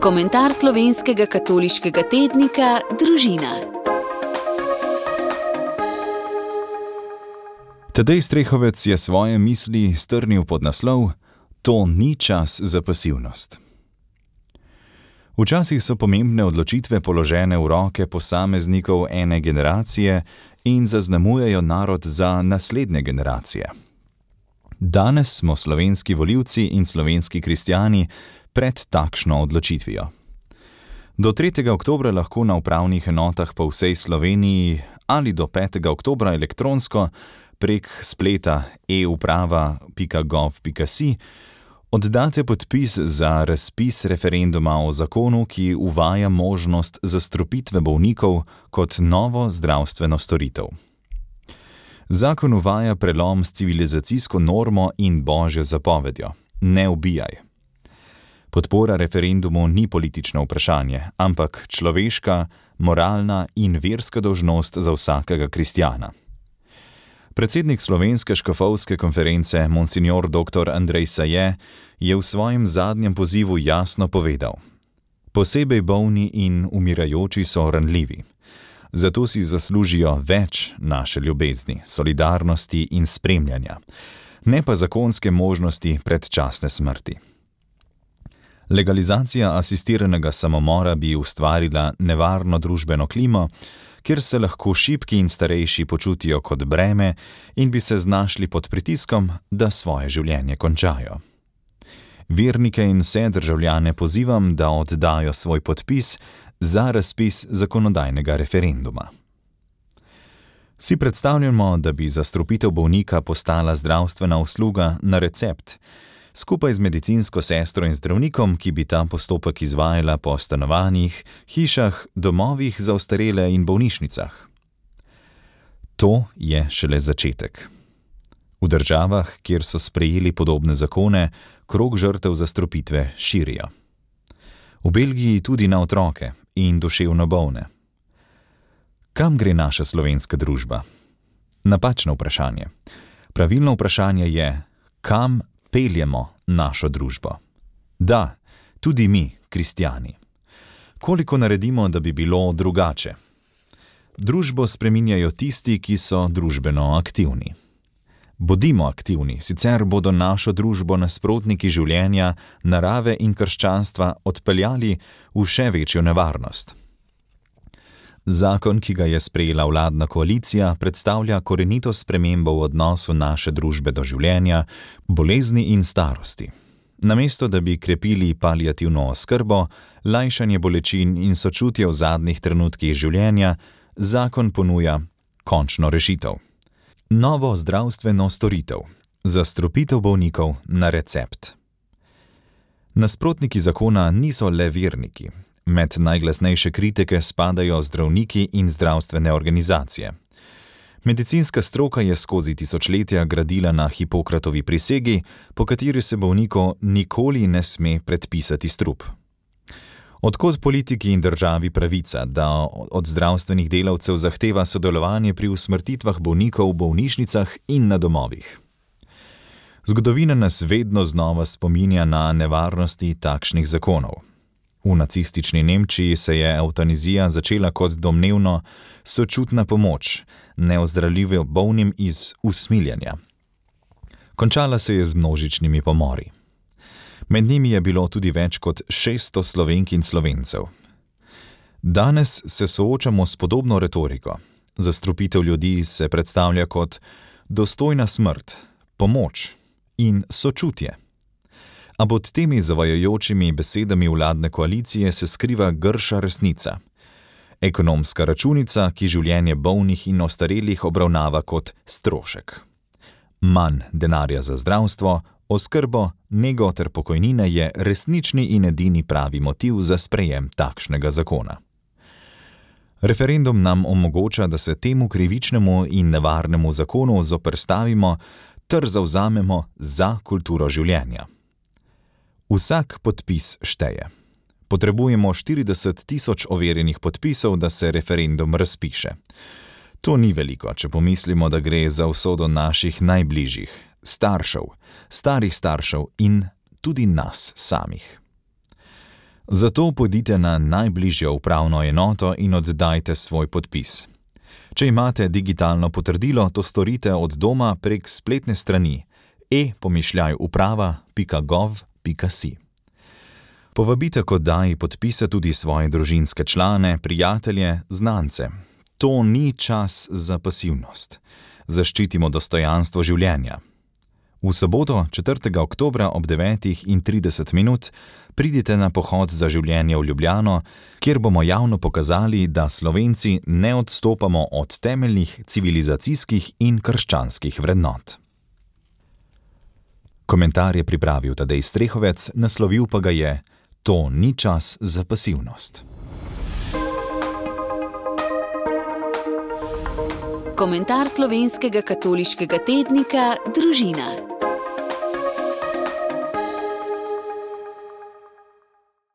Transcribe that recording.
Komentar slovenskega katoliškega tednika Družina. Tadej Strehovec je svoje misli strnil pod naslov: To ni čas za pasivnost. Včasih so pomembne odločitve položene v roke posameznikov ene generacije in zaznamujejo narod za naslednje generacije. Danes smo slovenski volivci in slovenski kristjani pred takšno odločitvijo. Do 3. oktobra lahko na upravnih enotah po vsej Sloveniji ali do 5. oktobra elektronsko prek spleta euprava.gov.si oddate podpis za razpis referenduma o zakonu, ki uvaja možnost zastrupitve bolnikov kot novo zdravstveno storitev. Zakon uvaja prelom s civilizacijsko normo in božjo zapovedjo: ne ubijaj. Podpora referendumu ni politično vprašanje, ampak človeška, moralna in verska dolžnost za vsakega kristjana. Predsednik Slovenske škofovske konference Monsignor dr. Andrej Saje je v svojem zadnjem pozivu jasno povedal: posebej bolni in umirajoči so ranljivi. Zato si zaslužijo več naše ljubezni, solidarnosti in spremljanja, ne pa zakonske možnosti predčasne smrti. Legalizacija asistiranega samomora bi ustvarila nevarno družbeno klimo, kjer se lahko šibki in starejši počutijo kot breme in bi se znašli pod pritiskom, da svoje življenje končajo. Vernike in vse državljane pozivam, da oddajo svoj podpis za razpis zakonodajnega referenduma. Si predstavljamo, da bi zastrupitev bolnika postala zdravstvena usluga na recept, skupaj z medicinsko sestro in zdravnikom, ki bi ta postopek izvajala po stanovanjih, hišah, domovih za ostarele in bolnišnicah. To je šele začetek. V državah, kjer so sprejeli podobne zakone, krog žrtev zastrupitve širijo. V Belgiji tudi na otroke in duševno bolne. Kam gre naša slovenska družba? Napačno vprašanje. Pravilno vprašanje je, kam peljemo našo družbo. Da, tudi mi, kristjani. Koliko naredimo, da bi bilo drugače? Družbo spreminjajo tisti, ki so družbeno aktivni. Bodimo aktivni, sicer bodo našo družbo nasprotniki življenja, narave in krščanstva odpeljali v še večjo nevarnost. Zakon, ki ga je sprejela vladna koalicija, predstavlja korenito spremembo v odnosu naše družbe do življenja, bolezni in starosti. Namesto da bi krepili paliativno oskrbo, lajšanje bolečin in sočutje v zadnjih trenutkih življenja, zakon ponuja končno rešitev. Novo zdravstveno storitev. Zastrupitev bolnikov na recept. Nasprotniki zakona niso le verniki. Med najglasnejše kritike spadajo zdravniki in zdravstvene organizacije. Medicinska stroka je skozi tisočletja gradila na Hipokratovi prisegi, po kateri se bolniku nikoli ne sme predpisati strup. Od kod politiki in državi pravica, da od zdravstvenih delavcev zahteva sodelovanje pri usmrtitvah bolnikov v bolnišnicah in na domovih? Zgodovina nas vedno znova spominja na nevarnosti takšnih zakonov. V nacistični Nemčiji se je evtanazija začela kot domnevno sočutna pomoč neozdravljivo bolnim iz usmiljenja. Končala se je z množičnimi pomori. Med njimi je bilo tudi več kot 600 Slovenk in Slovencev. Danes se soočamo s podobno retoriko. Zastrupitev ljudi se predstavlja kot dostojna smrt, pomoč in sočutje. A pod temi zavajajočimi besedami vladne koalicije se skriva grša resnica. Ekonomska računica, ki življenje bolnih in ostarelih obravnava kot strošek. Manj denarja za zdravstvo, oskrbo, nego ter pokojnine je resnični in edini pravi motiv za sprejem takšnega zakona. Referendum nam omogoča, da se temu krivičnemu in nevarnemu zakonu zoperstavimo ter zavzamemo za kulturo življenja. Vsak podpis šteje. Potrebujemo 40 tisoč overjenih podpisov, da se referendum razpiše. To ni veliko, če pomislimo, da gre za usodo naših najbližjih, staršev, starih staršev in tudi nas samih. Zato pojdite na najbližjo upravno enoto in oddajte svoj podpis. Če imate digitalno potrdilo, to storite od doma prek spletne strani e-uprava.gov.si. Povabite k oddaji podpisa tudi svoje družinske člane, prijatelje, znance. To ni čas za pasivnost. Zaščitimo dostojanstvo življenja. V soboto, 4. oktobra ob 9:30 pridite na pohod za življenje v Ljubljano, kjer bomo javno pokazali, da Slovenci ne odstopamo od temeljnih civilizacijskih in krščanskih vrednot. Komentar je pripravil Tadej Strehovec, naslovil pa ga je: To ni čas za pasivnost. Komentar slovenskega katoliškega tednika Družina.